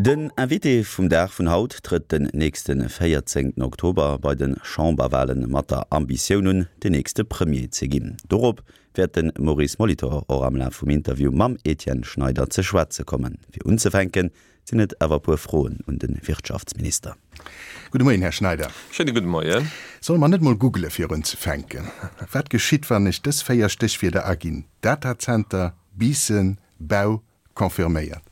Den Invité vum Dag vun haut trëtt den nächste 14 Oktober bei de Chamberwale mat der Ambitioun un, den nächste Premier ze ginn. Dorop wäert de Maurice Molitor och am Laf vum Interview mam Etienne Schneider ze schwätze kommen. Fir unzefänken sinn et awer e puer Froen un de Wirtschaftsminister. Gudde Moien, Här Schneider. Schéine gudde Moien. Solle mer net mol googele fir unzefänken? Wat geschitt, wann ech dës 4 Stéchwierder aginn, Datacenter, Biissen, Bau, Confirméiert.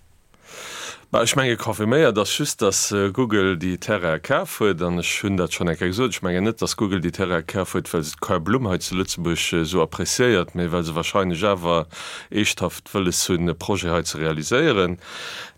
Bah, ech menge confirméiert ass just, datt Google déi Terraine kaf huet. An ech hunn dat schonn eng Kéier gesot, ech mengen net, datt Google déi Terraine kaf huet, well se d'Quai Blumm hei zu Lëtzebuerg esou appréciéiert, mee well se wahrscheinlech awer eeschthaft wëlles hunn, e Projet hei ze realiséieren.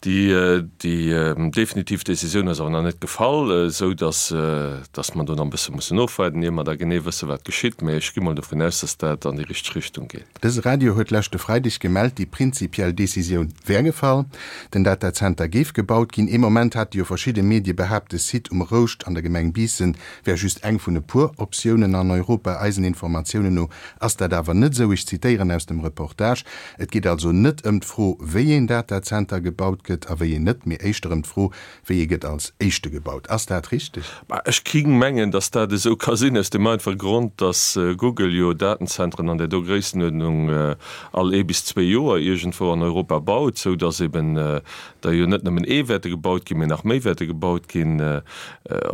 Déi, déi definitiv Décisioun ass awer nach net gefall, esou datt, datt mer do nach e bësse mussen ofwaarden, ier mer da genee wësse wat geschitt. Mee ech gi mol dovun aus, datt dat an déi richteg Richtung geet. Dëse Radio huet leschte Freideg gemellt, déi prinzipiell Decisioun wär gefall, den Datazenter géif gebaut ginn. Ee Moment hate jo verschidde Medie behaapt, de Site um Rouscht an der Gemeng Biissen wär just eng vun e puer Optiounen an Europa. Eisen Informatiounen no ass dat awer net esou. Ech zitéieren aus dem Reportage, Et geet also net ëm d'Fro, wéi een Datazenter gebaut gëtt a wéi een net, mee éischter ëm d'Fro, Wéi ee gëtt als éischte gebaut? Ass dat richteg? Bah, ech ging mengen, dass dat esou ka sinn, aus dem einfache Grond, dass Google jo Datenzentren an där do Gréissenuerdnung all ee bis zwee Joer iergendwou an Europa baut, sou dass eben der jo net nëmmen ee wäerte gebaut ginn, mee nach méi wäerte gebaut ginn.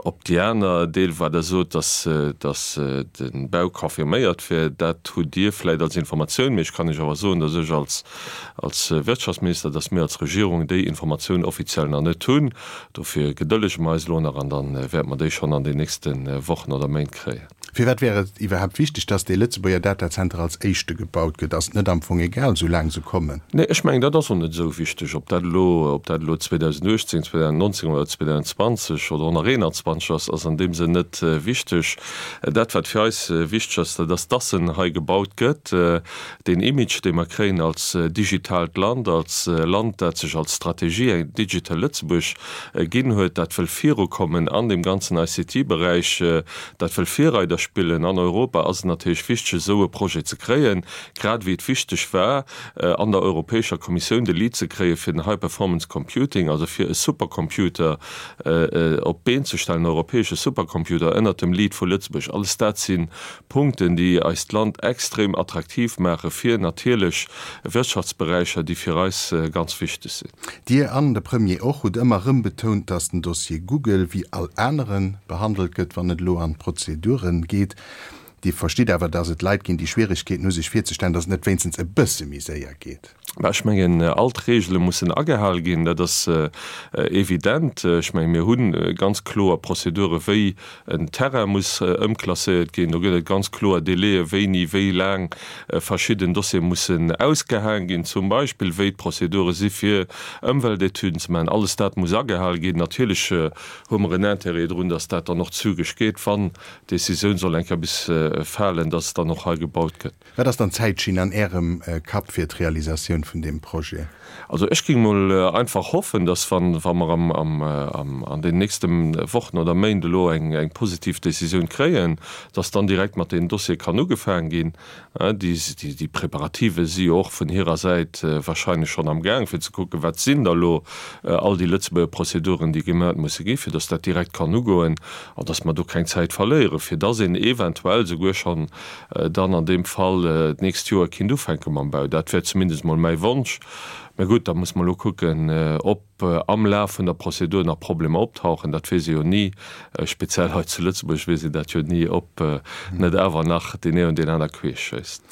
Ob déi aner Deel, wat Der sot, dass dass de Bau confirméiert wär, dat hutt Dir vläicht als Informatioun, mee ech kann Iech awer soen, dass ech als Als Wirtschaftsminister, dass mir als Regierung déi Informatioun offiziell nach net hunn. Dofir gedëllege mer eis elo nach an da wäerte mer déi schonn an den nächste Wochen oder Méint kréien. Firwat wär et iwwerhaapt wichteg, dass dee Lëtzebuerger Datazenter als éischte gebaut gëtt? Ass et net am Fong egal, soulaang se kommen? Nee, ech mengen, dat ass och net esou wichteg, ob dat elo, ob dat elo 2018, 2019 oder 2020 oder och nach 2021 ass, ass an deem Sënn net wichteg. Dat, wat fir eis wichteg ass, dat ass, dass en hei gebaut gëtt. Deen Image, dee mer kréien als digitaalt Land, als Land, dat sech als Strategie eng Digital Lëtzebuerg ginn huet, dat wëll virukommen an deem ganzen ICT-Beräich, dat wëll Virreider spillen an Europa, ass et natierlech wichteg, esou e Projet ze kréien, grad ewéi et wichteg war, an der Europäescher Kommissioun de Lead ze kréie fir den High Performance Computing, also fir e Supercomputer op d'Been ze stellen, en europäesche Supercomputer ënnert dem Lead vu Lëtzebuerg. Alles dat si Punkten, déi eist Land extrem attraktiv maache fir natierlech Wirtschaftsberäicher, déi fir eis ganz wichteg sinn. Dir an de Premier och hutt ëmmer erëm betount, datt den Dossier Google wéi all anere behandelt gëtt, wann et elo an d'Prozedure geet. Dir verstitt awer, datt et Leit ginn, déi Schwieregkeeten hu sech virzestellen, datt et net wéinstens e bësse méi séier geet. Mä ech mengen, all d'Regele mussen agehal ginn, dat ass evident. Ech mengen, mir hu ganz kloer Prozedure wéi en Terrain muss ëmklasséiert ginn. Do gëtt et ganz kloer Délaië wéini, wéi laang verschidden Dossiere mussen ausgehaang ginn, zum Beispill wéi d'Prozedure si fir Ëmweltetüden ze maachen. Alles dat muss agehal ginn. Natierlech hu mer en Intérêt drun, datt dat dann och zügeg geet, wann d'Décisioun soll eng Kéier bis falen, datt dann och hei gebaut gëtt. Wat ass dann d'Zäitschinn an Ärem Kapp fir d'Realisatioun vun deem Projet? Also ech géing mol einfach hoffen, dass wann wa mer am am am an den nächste Wochen oder Méint elo eng eng positiv Décisioun kréien, dass dann direkt mat deenen Dossiere kann ugefaang ginn. Déi déi Preparative si jo och vun hirer Säit wahrscheinlech schonn am Gaang fir ze kucken, wat sinn da lo all déi Lëtzebuerger Prozeduren, déi gemat musse gi fir dass dat direkt kann ugoen an dass mer do keng Zäit verléieren, fir dass een eventuell souguer schonn dann an deem Fall d'nächst Joer kinnt ufänke mam Bau. Dat wär zumindest mol mäi Wonsch. Mä gutt, da muss mer elo kucken, ob am Laf vun der Prozedur nach Problemer optauchen. Dat weess ee jo ni, speziell hei zu Lëtzebuerg weess een dat jo ni, ob net awer nach deen een oder deen aner queesch schéisst.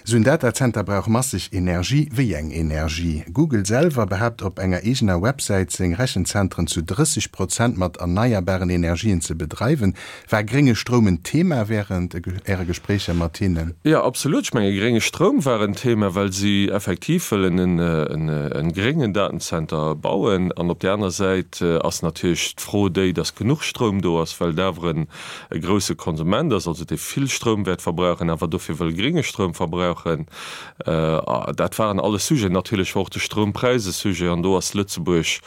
Esou en Datazenter brauch masseg Energie. Wéi eng Energie? Google selwer behaapt op enger eegener Websäit, seng Rechenzentren zu 30 Prozent mat erneierbaren Energien ze bedreiwen. War grénge Stroum en Thema während Äre Gespréicher mat hinnen? Jo, absolut. Ech menge grénge Stroum war en Thema, well si effektiv wëllen e gréngen Datenzenter bauen. An op där aner Säit ass natierlech d'Fro déi, dass genuch Stroum do ass, well et awer e grousse Konsument ass, also dee vill Stroum wäert verbrauchen, awer dofir wëll grénge Stroum verbrauchen. Dat waren alles Sujeten. Natierlech war och de Stroumpräis e Sujet an do ass Lëtzebuerg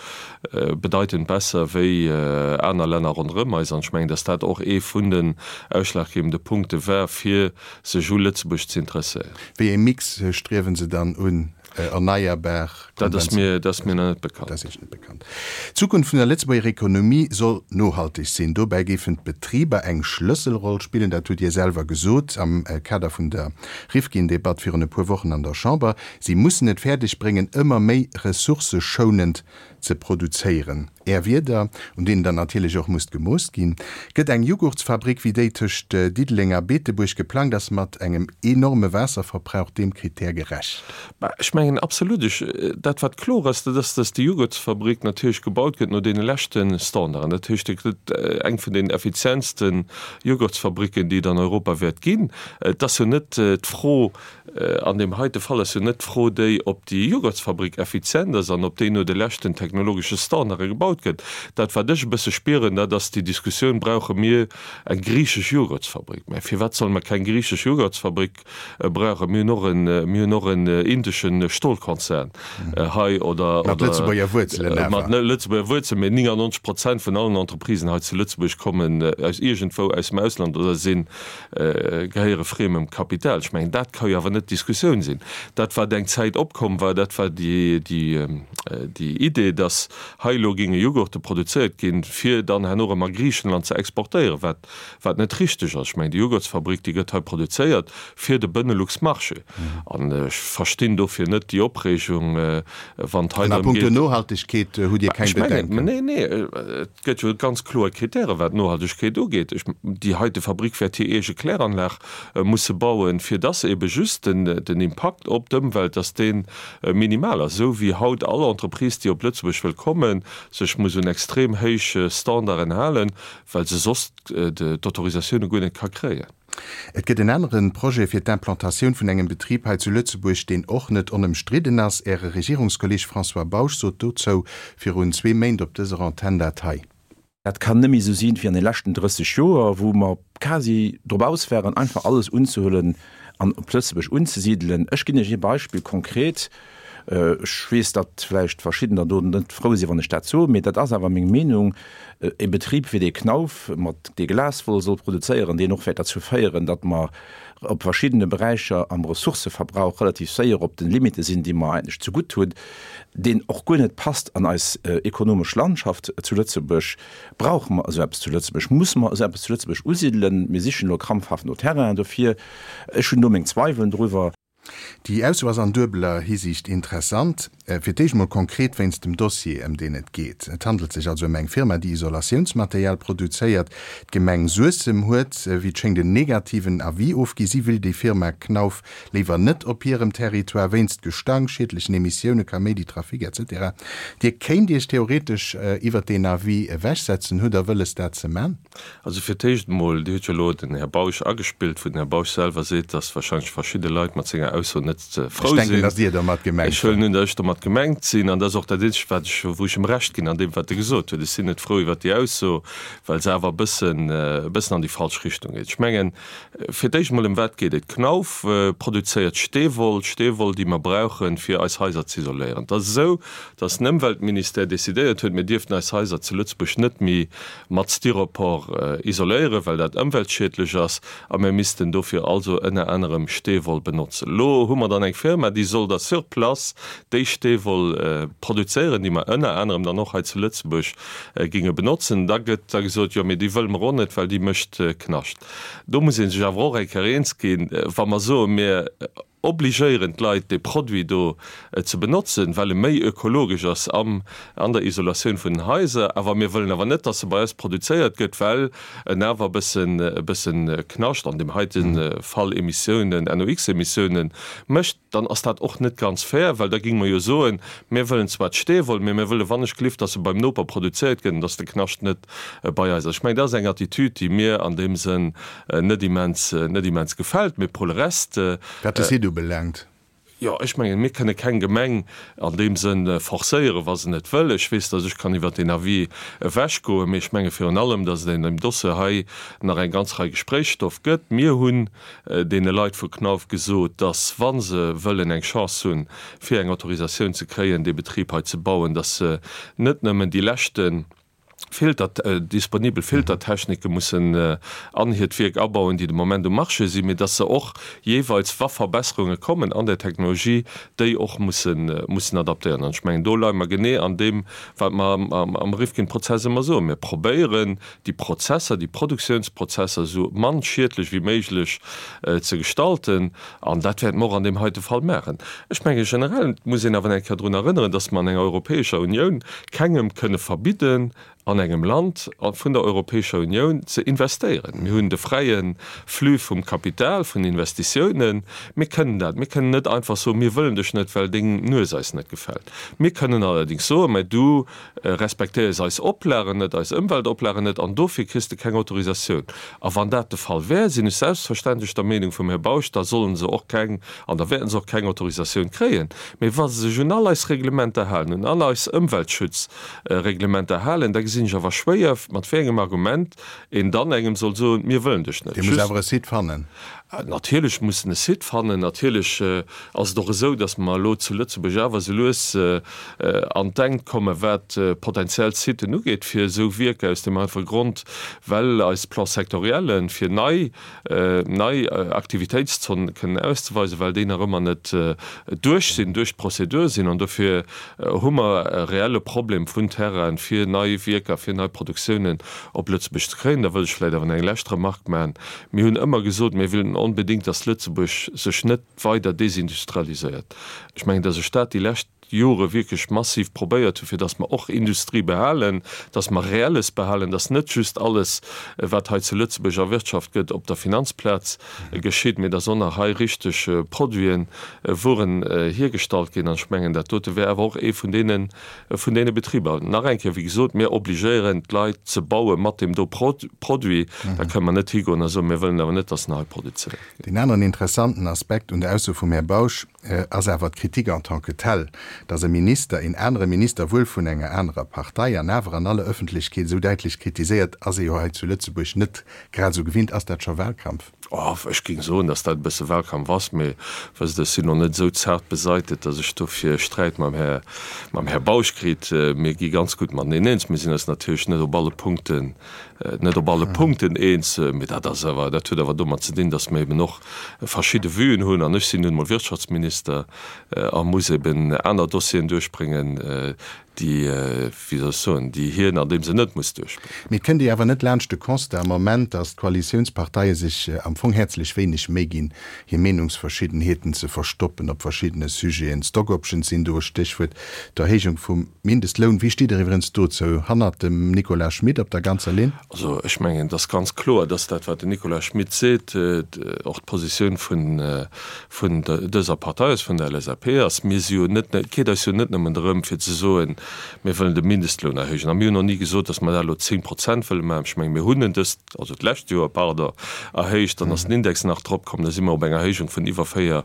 bedeitend besser wéi aner Länner ronderëm eis. An ech mengen, dass dat och ee vun den ausschlaggebende Punkte war, fir sech u Lëtzebuerg ze interesséieren. Wéi ee Mix striewen se dann un? Erneierbar? Dat ass mir, dat ass mir nach net bekannt. Dat ass Iech net bekannt. D'Zukunft vun der Lëtzebuerger Ekonomie soll nohalteg sinn. Dobäi géifen d'Betriber eng Schlësselroll spillen. Dat hutt Dir selwer gesot am Kader vun der Rifkin-Debatt virun e puer Wochen an der Chamber. Si mussen et fäerdeg bréngen, ëmmer méi ressourcëschounend ze produzéieren. Är Wierder, un deenen dann natierlech och musst gemooss ginn. Gëtt eng Jughurtsfabrik wéi déi tëscht Diddeleng a Beetebuerg geplangt ass, mat engem enorme Waasserverbrauch deem Krittär gerecht? Bah, ech mengen absolut. Ech, dat wat kloer ass, dat ass, dass déi Jughurtsfabrik natierlech gebaut gëtt no deene leschte Standarden. Dat heescht, et gëtt eng vun den effizientste Jughurtsfabricken, déi et an Europa wäert ginn. Et ass jo net d'Fro, An deem heite Fall ass jo net d'Fro déi, ob déi Jughurtsfabrik effizient ass an ob déi no de leschten technologesche Standarde gebaut gëtt. Dat, wat ech e bësse spieren, dat ass déi Diskussioun, Brauche mir eng griichesch Jughurtsfabrik? Mä firwat solle mer keng griichesch Jughurtsfabrik brauchen? Mir hunn och en, mir hunn och en indesche Stolkonzern hei oder. Mat Lëtzebuerger Wuerzelen awer. Mat Lëtzebuerger Wuerzelen, mä 99 Prozent vun allen Entreprisen hei zu Lëtzebuerg kommen aus iergendwou aus dem Ausland oder sinn gehéiere friemem Kapital. Ech mengen, dat ka jo awer net d'Diskussioun sinn. Dat, wat eng Zäit opkomm war, dat war déi Idee, datt hei elo géinge Jughurte produzéiert ginn, fir dann herno erëm a Griichenland ze exportéieren, wat, wat net richteg ass. Ech mengen, déi Jughurtsfabrik, déi gëtt hei produzéiert fir de Benelux-Marché. An ech verstinn dofir net déi Opreegung, wann et hei An a drëm punkto geet. Nohaltegkeet hutt Dir keng Ech mengen, Bedenken? nee, nee, et gëtt jo ganz kloer Kritäre wat d'Nohaltegkeet ugeet. Ech, déi heite Fabrik wäert hir eege Kläranlag musse bauen, fir dass ebe just den, den Impakt op d'Ëmwelt, dass dee minimal ass, esou wéi haut all Entreprise, déi op Lëtzebuerg wëll kommen, sech muss un extrem héich Standarden halen, well se soss d'Autorisatioune guer net ka kréien. Et gëtt en anere Projet fir d'Implantatioun vun engem Betrib hei zu Lëtzebuerg, deen och net onëmstridden ass. Äre Regierungskolleeg François Bausch sot dozou virun zwee Méint op dëser Antenn dat hei. Dat kann net méi esou sinn wéi an de leschten 30 Joer, wou mer quasi drop aus waren, einfach alles unzehuelen an op Lëtzebuerg unzesidelen. Ech ginn Iech ee Beispill konkret. Ech weess, datt vläicht verschiddener do net frou sinn, wann ech dat soen, mee dat ass awer meng Meenung, E Betrib wéi dee Knauf, mat dee Glaswoll soll produzéieren, deen och wäert derzou féieren, datt mer op verschiddene Beräicher am Ressourcëverbrauch relativ séier op de Limite sinn, déi mer eigentlech zegutt hunn, deen och guer net passt an eis ekonomesch Landschaft zu Lëtzebuerg. Brauche mer esou eppes zu Lëtzebuerg? Musse mer esou eppes zu Lëtzebuerg usidelen? Mir sichen elo krampfhaft no Terrainen dofir. Ech hunn do meng Zweiwelen driwwer. Déi Ausso ass an duebeler Hisiicht interessant. Fir d'éischt mol konkret wéinst dem Dossier, ëm deen et geet. Et handelt sech also ëm eng Firma, déi Isolatiounsmaterial produzéiert. D'Gemeng Suessem huet, wéi et schéngt, en negativen Avis ofgi. Si will déi Firma Knauf léiwer net op hirem Territoire, wéinst Gestank, schiedlechen Emissiounen, Kaméidi, Trafic, etc. Dir kéint Iech theoretesch iwwert deen Avis ewechsetzen. Hutt Der wëlles, dat ze man? Also fir d'éischt emol, Dir hutt jo elo den Här Bausch agespillt, wou den Här Bausch selwer seet, datt wahrscheinlech verschidde Leit mat senger Ausso net frou Ech denken, sinn. datt Dir domat gemengt Ech huelen un, datt ech domat gemengt sinn. An dat ass och dat Eenzegt, wat ech, wou ech em Recht ginn an deem, wat e gesot huet. Ech sinn net frou iwwert déi Ausso, well se awer e bëssen, e bëssen an déi falsch Richtung geet. Ech mengen, fir d'éischt emol, ëm wat geet et? Knauf produzéiert Steewoll, Steewoll, déi mer brauchen, fir eis Haiser z'isoléieren. Et ass esou, datt den Ëmweltministère decidéiert huet, mir dierften eis Haiser zu Lëtzebuerg net méi mat Styropor isoléieren, well dat ëmweltschiedlech ass, a mir missten dofir also ënner anerem Steewoll benotzen. Elo hu mer dann eng Firma, déi soll da sur place déi Steewoll produzéieren, déi mer ënner anerem dann och hei zu Lëtzebuerg géinge benotzen. Da gëtt da gesot, jo, mee déi wëlle mer och net, well déi mécht Knascht. Do muss ee sech awer och eng Kéier eens ginn, wa mer soen, mir obligéieren d'Leit dee Produit do ze benotzen, well e méi ökologesch ass am an der Isolatioun vun den Haiser, awer mir wëllen awer net, dass e bei eis produzéiert gëtt, well en awer e bëssen e bëssen Knascht, an deem heite Fall Emissiounen, NOx-Emissiounen mécht, dann ass dat och net ganz fair, well da géinge mer jo soen, mir wëllen zwar d'Steewoll, mee mir wëlle wannechgelift, dass e beim Noper produzéiert gëtt an dass de Knascht net bei eis ass. Ech mengen, dat ass eng Attitüd, déi mir an deem Sënn net immens, net immens gefält. Mee pour le reste. Wat de Site ubelaangt. Jo, ech mengen, mir kënne keng Gemeng an deem Sënn forcéieren, wa se net wëll. Ech weess, datt ech kann iwwert deen Avis ewechgoen, mee ech menge virun allem, datt et an deem Dossier hei nach eng ganz Rei Gespréichsstoff gëtt. Mir hunn deene Leit vu Knauf gesot, datt, wa se wëllen eng Chance hunn, fir eng Autorisatioun ze kréien, dee Betrib hei ze bauen, datt se net nëmmen déi leschten. Filter, disponibel Filtertechnike mussen an hiert Wierk abauen, déi de Moment um Marché sinn, mee dass se och jeeweils, wa Verbesserunge kommen an der Technologie, déi och mussen, mussen adaptéieren. An ech mengen, do leie mer genee an deem, wat mer am Rifkin-Prozess ëmmer soen, Mir probéieren, déi Prozesser, déi Produktionsprozesser esou mann schiedlech wéi méiglech ze gestalten. An dat wäerte mer och an deem heite Fall maachen. Ech menge generell, et muss een awer eng Kéier drun erënneren, dass mer an enger Europäescher Unioun kengem kënne verbidden, an engem Land vun der Europäescher Unioun ze investéieren. Mir hunn de fräie Flux vum Kapital, vun Investitiounen. Mir kënnen dat. Mir kënnen net einfach soen, mir wëllen dech net, well deng Nues eis net gefält. Mir kënnen allerdéngs soen, mä du respektéiers eis Oplagen net, eis Ëmweltoplagen net, an dofir kriss de keng Autorisatioun. A wann dat de Fall wär, sinn ech selbstverständlech der Meenung vum Här Bausch, da solle se och keng an da wäerte se och keng Autorisatioun kréien. Mee wa se sech un all eis Reglementer halen, un all eis Ëmweltschutzreglementer halen, da gesinn ech awer schwéier, mat wéi engem Argument een dann engem soll soen, mir wëllen dech net. Dee muss awer e Site fannen. Natierlech muss en e Site fannen. Natierlech ass et och esou, datt mer elo zu Lëtzebuerg awer esou lues an d'Enkt kommen, wat potentiell Siten ugeet fir esou Wierker, aus deem einfache Grond, well eis Plans-sectoriellen, fir nei, nei Aktivitéitszonen kënnen auszeweisen, well déi nach ëmmer net duerch sinn, duerch d'Prozedur sinn. An dofir hu mer e reelle Problem vun Terrainen, fir nei Wierker, fir nei Produktiounen op Lëtzebuerg ze kréien. Da wëll ech vläicht awer nach eng lescht Remarque maachen. Mir hunn ëmmer gesot, mir wëllen onbedéngt, dass Lëtzebuerg sech net weider desindustrialiséiert. Ech mengen, dass ech dat déi lescht Jore wierklech massiv probéiert hunn, fir dass mer och Industrie behalen, dass mer Reelles behalen, dass net just alles, wat hei zu Lëtzebuerg erwirtschaft gëtt, op der Finanzplaz geschitt, mee dass och nach hei richteg Produiten, Wueren hiergestallt ginn. An ech mengen, dat dote wär awer och ee vun deene vun deene Betriber. Nach eng Kéier, wéi gesot, mir obligéieren d'Leit ze baue mat deem do Produit. Da kënnen mer net higoen a soen, mir wëllen awer net, dass en hei produzéiert gëtt. Deen aneren interessanten Aspekt un der Ausso vum Här Bausch ass awer d'Kritik en tant que telle, dass e Minister een anere Minister, wuel vun enger anerer Partei, an awer an aller Öffentlechkeet esou däitlech kritiséiert, ass ee jo hei zu Lëtzebuerg net grad esou gewinnt. Ass dat scho Wahlkampf? Oh, ech géing soen, datt dat e bësse Wahlkampf ass, mee wësst Der, ech sinn och net esou zart besaitet, datt ech dofir Sträit mam Här, mam Här Bausch kritt. Mir gi ganz gutt mateneen eens. Mir sinn eis natierlech net op alle Punkten, net op alle Punkten eens, mee dat ass awer, dat huet awer domat ze dinn, datt mir eben och verschidde Vuen hunn. An ech sinn nun emol Wirtschaftsminister a muss eben aner Dossieren duerchbréngen, déi, wéi soll ech soen, déi hien an deem Sënn net muss duerchbréngen. Mee et kënnt ee awer net laanscht de Constat am Moment, datt d'Koalitiounsparteie sech am Fong häerzlech wéineg Méi ginn, hir Meenungsverschiddenheeten ze verstoppen op verschiddene Sujeten. Stock options sinn do e Stéchwuert, d'Erhéijung vum Mindestloun. Wéi steet Der iwwerens dozou? Hannert dem Nicolas Schmit op der ganzer Linn? Also ech mengen, et ass ganz kloer, datt dat, wat den Nicolas Schmit seet, och d'Positioun vun vun dëser Partei ass, vun der LSAP ass. Mir si jo net, et geet eis jo net nëmmen drëm fir ze soen, mir wëllen de Mindestloun erhéijen. A mir hunn och ni gesot, datt mer dat elo 10 Prozent wëlle maachen. Ech menge mir hunn en dëst, also d'lescht Joer, pardon, erhéicht, dann ass den Index nach drop komm, da si mer op eng Erhéijung vun iwwer 4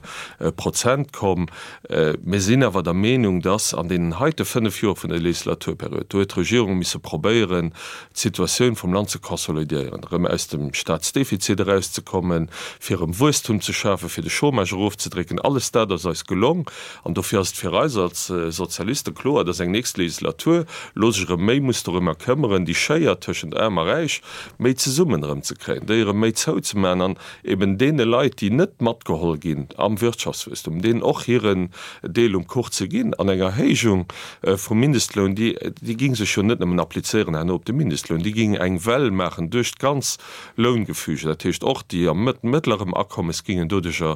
Prozent komm. Mir sinn awer der Meenung, datt an deenen heite fënnf Joer vun der Legislaturperiod, do huet d'Regierung misse probéieren, d'Situatioun vum Land ze konsolidéieren, erëm aus dem Staatsdefizit erauszekommen, fir erëm Wuesstum ze schafen, fir de Chômage erofzedrécken, alles dat ass eis gelong. An dofir ass et fir eis als Sozialiste kloer, dass eng nächst Legislatur elo sech erëm méi muss dorëmmer këmmeren, déi Schéier tëschent Aarm a Räich méi zesummen erëm ze kréien, déi erëm méi zouzemaachen an eben deene Leit, déi net matgeholl ginn am Wirtschaftswuesstum, deenen och hiren Deel um Kuch ze ginn. An eng Erhéijung vum Mindestloun, déi, déi ging sech jo net nëmmen applizéieren herno op de Mindestloun, déi ging eng Well maachen duerch d'ganz Loungefüge. Dat heescht, och déi am mëttlerem Akommes gingen doduercher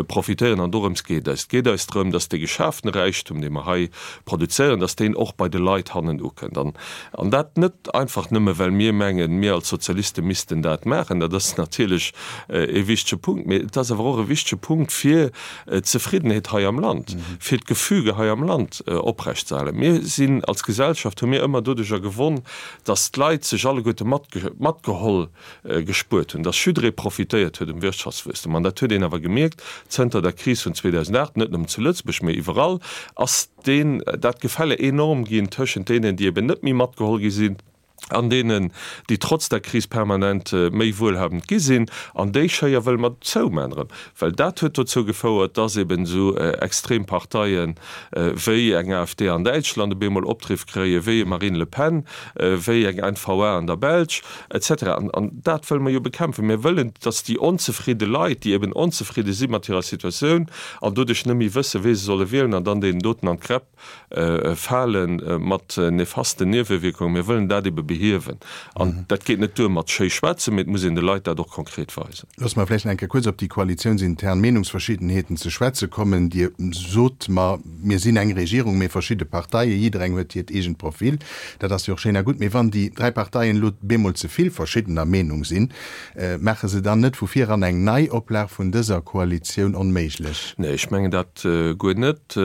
profitéieren. An dorëms geet eis. Et geet eis drëm, dass dee geschafene Räichtum, dee mer hei produzéieren, dass deen och bei de Leit hannen ukënnt. An, an dat net einfach nëmme well mir mengen, mir als Sozialiste missten dat maachen, dat ass natierlech ee wichtege Punkt, mee et ass awer och e wichtege Punkt fir d'Zefriddenheet hei am Land, fir d'Gefüge hei am Land oprecht ze halen. Mir sinn als Gesellschaft, hu mir ëmmer doduercher gewonn, dass d'Leit sech alleguerte matgeholl gespuert hunn, dass jidderee profitéiert huet um Wirtschaftswuesstum. An dat huet een awer gemierkt zënter der Kris vun 2008, net nëmmen zu Lëtzebuerg, mee iwwerall ass deen, dat Gefälle enorm ginn tëschent deenen, déi eben net méi matgeholl gi sinn. An deenen, déi trotz der Kris permanent méi wuelhabend gi sinn. An déi Schéier wëlle mer zouman erëm, well dat huet dozou gefouert, dass eben esou extrem Parteie wéi eng AfD an Däitschland op eemol Opdriff kréien, wéi e Marine Le Pen, wéi eng N-VA an der Belsch, et cetera. An dat wëlle mer jo bekämpfen. Mir wëllen, dass déi onzefridde Leit, déi eben onzefridde si mat hirer Situatioun an doduerch net méi wëssen, wee se solle wielen an dann deenen doten an d'Gräpp Fale mat nefasten Niewewierkungen. Mir wëllen dat ebe behiewen. An dat geet net duer mat schéi schwätzen, mee et muss een de Leit dat och konkret weisen. Loosse mer vläicht nach eng Kéier kuerz op déi koalitiounsintern Meenungsverschiddenheeten ze schwätze kommen. Dir sot mer, mir sinn eng Regierung, mee verschidde Parteien, jiddereng huet hiert eegent Profil. Dat ass jo och schéin a gutt. Mee wann déi dräi Parteien elo bemol ze vill verschiddener Meenung sinn, maache se dann net vu vir eran eng Neioplag vun dëser Koalitioun onméiglech? Nee, ech mengen dat Guer net.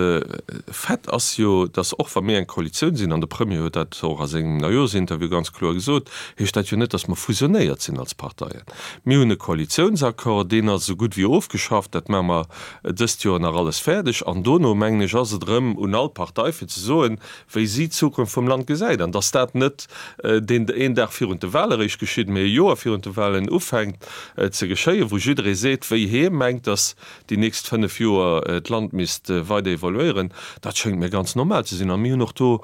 Fait ass jo, datt och wa mir eng Koalitioun sinn, an de Premier huet dat och a sengem Neijooschinterview ganz kloer gesot, heescht dat jo net, datt mer fusionéiert sinn als Parteien. Mir hunn e Koalitiounsaccord, deen ass esou gutt wéi ofgeschafft, dat maache mer dëst Joer nach alles fäerdeg. An dono, mengen ech, ass et erëm un all Partei fir ze soen, wéi si d'Zukunft vum Land gesäit. An datt dat net deen een Dag virun de Wahle eréischt geschitt, mee e Joer virun de Wahlen ufänkt ze geschéien, wou jidderee seet, wéi hee mengt, datt déi nächst 5 Joer d'Land misst weider evoluéieren, dat schéngt mir ganz normal ze sinn. A mir hunn och do,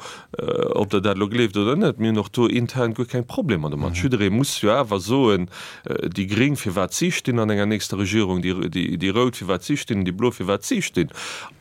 ob Der dat elo gleeft oder net, mir hunn och do intern guer keng Problemer domat. Jidderee muss jo awer soen, déi Gréng, firwat si stinn an enger nächster Regierung, déi Rout, firwat si stinn, déi Blo, firwat si stinn.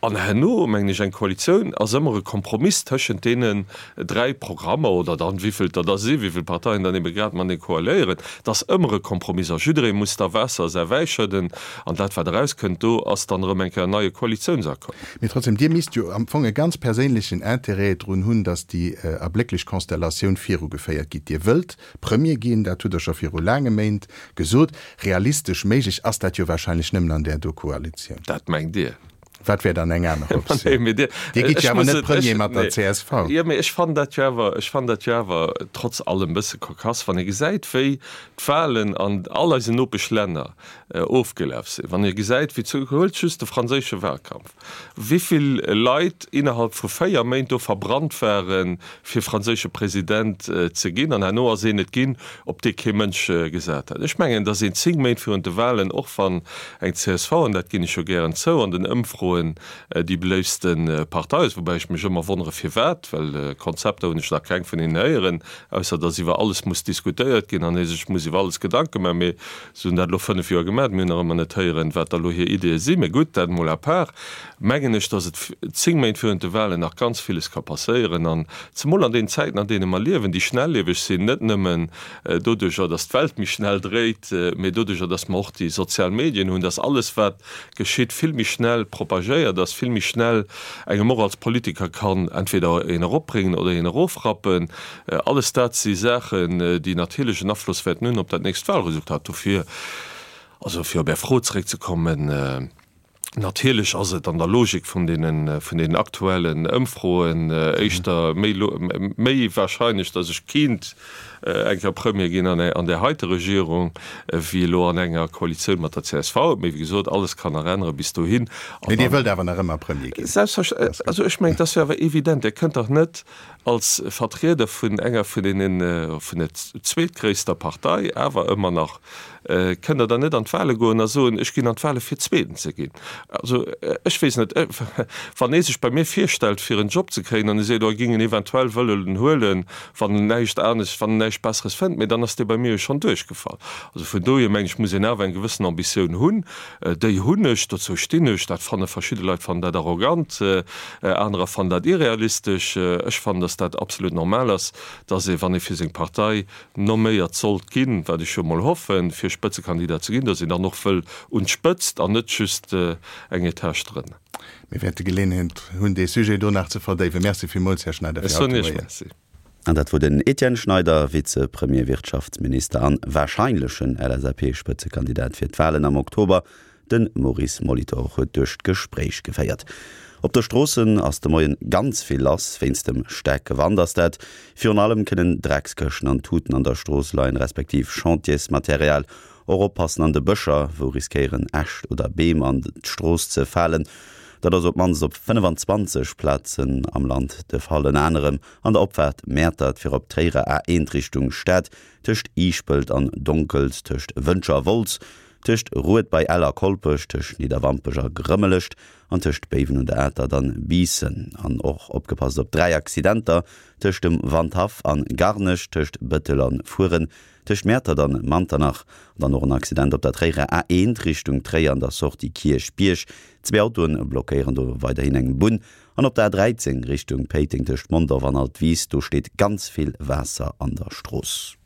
An herno, mengen ech, eng Koalitioun ass ëmmer e Kompromiss tëschent deenen 3 Programmer oder dann wéivill der da sinn, wéivill Parteien dann ebe grad matenee koaléieren, et ass ëmmer e Kompromiss a jidderee muss da Waasser a säi Wäi schëdden an dat wat erauskënnt do ass dann erëm eng Kéier en neie Koalitiounsaccord. Mee trotzdem, Dir misst jo am Fong e ganz perséinlechen Intérêt drun hunn, datt déi erblécklech Konstellatioun virugeféiert gitt. Dir wëllt Premier ginn, dat hutt Der scho viru laange Méint gesot. Realistesch méiglech ass dat jo wahrscheinlech nëmmen an där do Koalitioun. Dat mengt Dir. Wat wär dann eng aner Optioun? Dir gitt jo awer net Premier mat der csv. Jo, mee ech fannen dat jo awer, ech fannen dat jo awer trotz allem e bësse kokass, wann ee gesäit, wéi d'Wahlen an all eisen Nopeschlänner ofgelaf sinn, wann ee gesäit, wéi zu, huelt just de franséische Wahlkampf, wéivill Leit innerhalb vu 4 Méint do verbrannt waren, fir franséische President ze ginn, an herno ass een et ginn, op dee kee Mënsch gesat hat. Ech mengen, datt een 10 Méint virun de Wahlen, och wann eng csv, an dat ginn ech jo gären zou, an den Ëmfroen déi beléiftste Partei ass, woubäi ech mech ëmmer wonnere firwat, well Konzepter hunn ech nach keng vun hinnen héieren, ausser datt iwwer alles muss diskutéiert ginn an ee sech muss iwwer alles Gedanke maachen. Mee se hunn dat elo 5 Joer gemaach, mir hunn nach ëmmer net héieren, wat da elo hir Ideeë sinn. Mee gutt, dat emol à part. Mengen ech, datt et 10 Méint virun de Wahlen nach ganz villes ka passéieren an zemol an deenen Zäiten, an deene mer liewen, déi schnellieweg sinn, net nëmmen doduercher, datt d'Welt méi schnell dréit, mee doduercher, datt mer och déi sozial Medien hunn, datt alles, wat geschitt, vill méi schnell propagéiert ass, vill méi schnell engem och als Politiker kann entweder een eropbréngen oder een erofrappen. Alles dat si Saachen, déi natierlech en Afloss wäerten hunn op dat nächst Wahlresultat. Dofir, also fir op Är Fro zeréckzekommen, Natierlech ass et an der Logik vun deenen, vun deenen aktuellen Ëmfroen éischter méi, méi wahrscheinlech, datt ech kinnt eng Kéier Premier ginn an an där heite Regierung, wéi elo an enger Koalitioun mat der csv. Mee wéi gesot, alles kann nach ännere bis dohin. Mee Dir wëllt awer nach ëmmer Premier ginn? Selbstverständlech. Also ech mengen, et ass jo awer evident, Dir kënnt dach net als Vertrieder vun enger vun deenen, vun der zweetgréisster Partei awer ëmmer nach, kënnt Der dann net an d'Wahle goen a soen, ech ginn an d'Wahle fir Zweeten ze ginn. Also ech weess net, wann ee sech bei mir virstellt fir en Job ze kréien an e seet, oh e géing en eventuell wëllen huelen, wann en näischt anescht, wann en näischt Besseres fënnt, mee dann ass dee bei mir jo schonn duerchgefall. Also vun dohier mengen ech, muss een awer eng gewëssen Ambitioun hunn. Déi hunn ech, dozou stinn ech. Dat fanne verschidde Leit fannen dat arrogant, anerer fannen dat irrealistesch. Ech fannen, datt dat absolut normal ass, datt ee, wann ee fir seng Partei nomméiert sollt ginn, wat ech jo mol hoffen, fir Spëtzekandidat ze ginn, datt een dann och wëll un d'Spëtzt an net just eng Etage drënner. Mir wäerte Geleeënheet hunn, dee Sujet do nach ze verdéiwen. Merci villmools, Här Schneider, fir haut de Moien. Ech soen Iech Merci. An dat wor den Etienne Schneider, Vizepremier, Wirtschaftsminister an wahrscheinlechen LSAP-Spëtzekandidat fir d'Wahlen am Oktober. De Maurice Molitor huet duerch d'Gespréich geféiert. Op de Stroossen ass de Moien ganz vill lass. Wéinst dem staarke Wand ass dat. Virun allem kënnen Dreckskëschten an Tuten an der Strooss leien, respektiv Chantiersmaterial. Och oppassen an de Bëscher, wou riskéieren Äscht oder Beem an d'Strooss ze falen. Dat ass op d'mannst op 25 Plazen am Land de Fall, ënner anerem an der Opfaart Mäertert fir op d'Tréierer A1 Richtung Stad, tëscht Iischpelt an Donkels, tëscht Wëntger a Wolz, tëscht Rued bei Ell a Kolpech, tëscht Nidderwampech a Grëmmelescht an tëscht Béiwen un der Atert an Biissen. An och opgepasst op 3 Accidenter, tëscht dem Wandhaff an Garnech, tëscht Bëttel an Fueren, Tëscht Mäertert an Manternach an dann och en Accident op der Tréierer A1 Richtung Tréier an der Sortie Kierchbierg. Zwee Autoen blockéieren do weiderhin eng Bunn. An op der A13 Richtung Péiteng tëscht Mondorf an Altwis, do steet ganz vill Waasser an der Strooss.